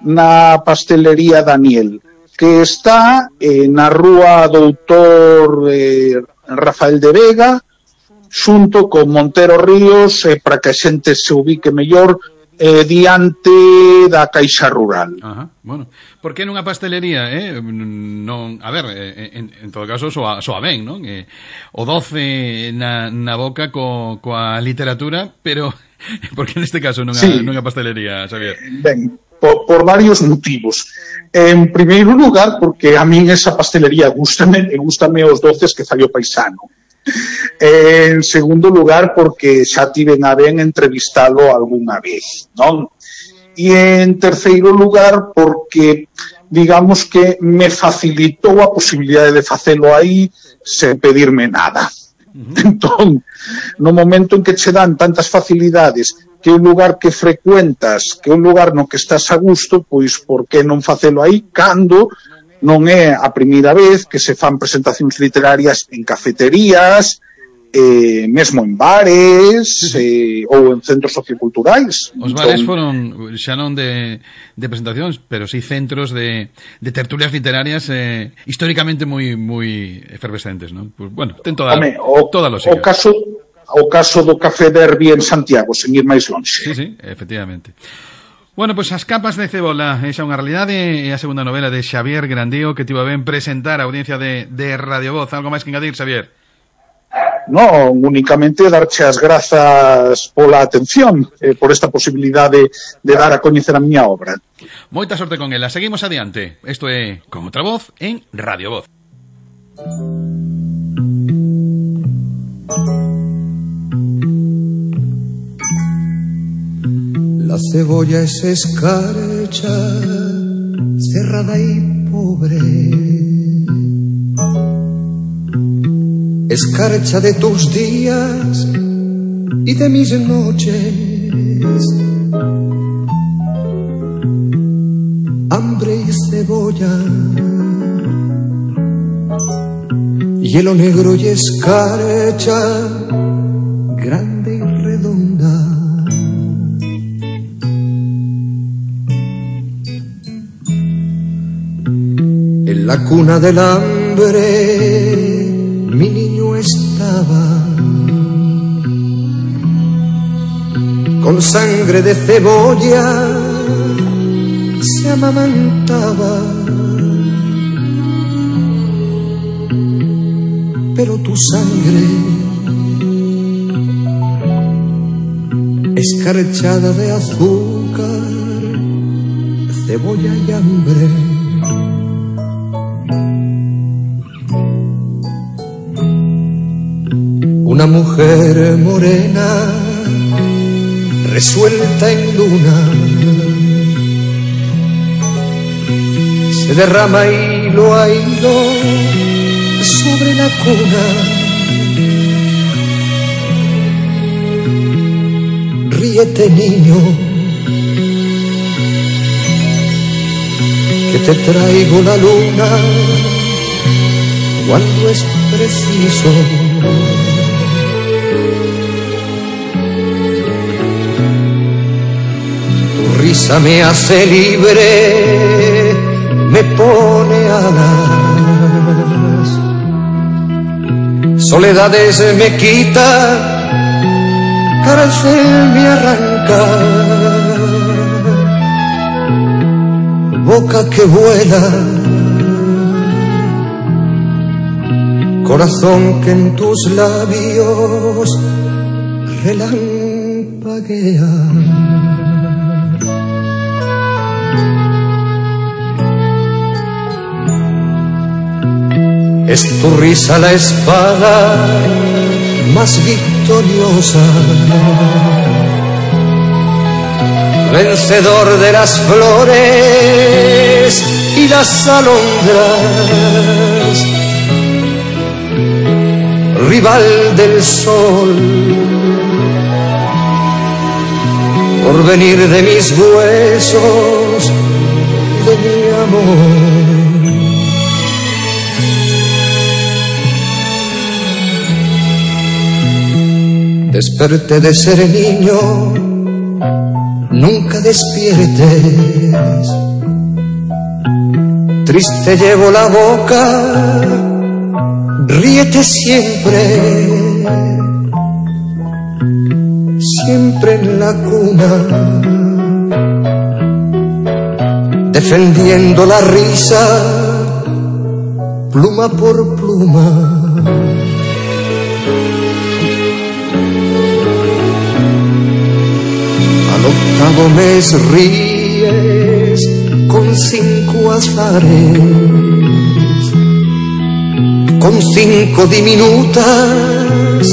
na pastelería Daniel, que está eh, na rúa Doutor eh, Rafael de Vega, xunto con Montero Ríos, eh, para que a xente se ubique mellor, eh, diante da Caixa Rural. Ajá, bueno, por que nunha pastelería, eh? Non, a ver, eh, en, en todo caso soa, soa ben, non? Eh, o doce na, na boca co, coa literatura, pero por que neste caso nunha, sí. nunha pastelería, Xavier? Ben, por, por varios motivos. En primeiro lugar, porque a min esa pastelería gústame, e gústame os doces que fai o paisano. En segundo lugar, porque xa tiven a ben entrevistalo algunha vez, non? E en terceiro lugar, porque digamos que me facilitou a posibilidade de facelo aí sen pedirme nada. Uh-huh. Entón, no momento en que che dan tantas facilidades, que un lugar que frecuentas, que un lugar no que estás a gusto, pois por que non facelo aí cando non é a primeira vez que se fan presentacións literarias en cafeterías, eh, mesmo en bares, eh, ou en centros socioculturais. Os bares foron xa non de, de presentacións, pero sí centros de, de tertulias literarias eh, históricamente moi moi efervescentes, non? Pues, bueno, ten toda, Home, o, toda a lógica. O caso, o caso do Café Derby en Santiago, sen ir máis longe. Sí, sí, efectivamente. Bueno, pois pues, As capas de cebola é xa unha realidade, é a segunda novela de Xavier Grandío que tivo a ben presentar a audiencia de, de Radio Voz. Algo máis que engadir, Xavier? Non, únicamente darche as grazas pola atención, eh, por esta posibilidade de dar a coñecer a miña obra. Moita sorte con ela. Seguimos adiante. Isto é Con Outra Voz en Radio Voz. La cebolla es escarcha, cerrada y pobre. Escarcha de tus días y de mis noches. Hambre y cebolla, hielo negro y escarcha, grande y redonda. En la cuna del hambre mi niño estaba, con sangre de cebolla se amamantaba, pero tu sangre escarchada de azúcar, cebolla y hambre. Una mujer morena, resuelta en luna, se derrama hilo a hilo sobre la cuna. Ríete, niño, que te traigo la luna cuando es preciso. Risa me hace libre, me pone alas, soledades me quita, cárcel me arranca, boca que vuela, corazón que en tus labios relampaguea. Es tu risa la espada más victoriosa, vencedor de las flores y las alondras, rival del sol, porvenir de mis huesos y de mi amor. Desperté de ser niño nunca despiertes. Triste llevo la boca, ríete siempre, siempre en la cuna, defendiendo la risa, pluma por pluma. Al octavo mes ríes con cinco azares, con cinco diminutas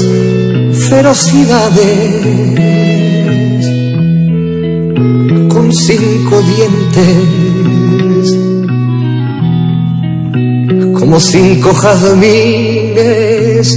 ferocidades, con cinco dientes, como cinco jazmines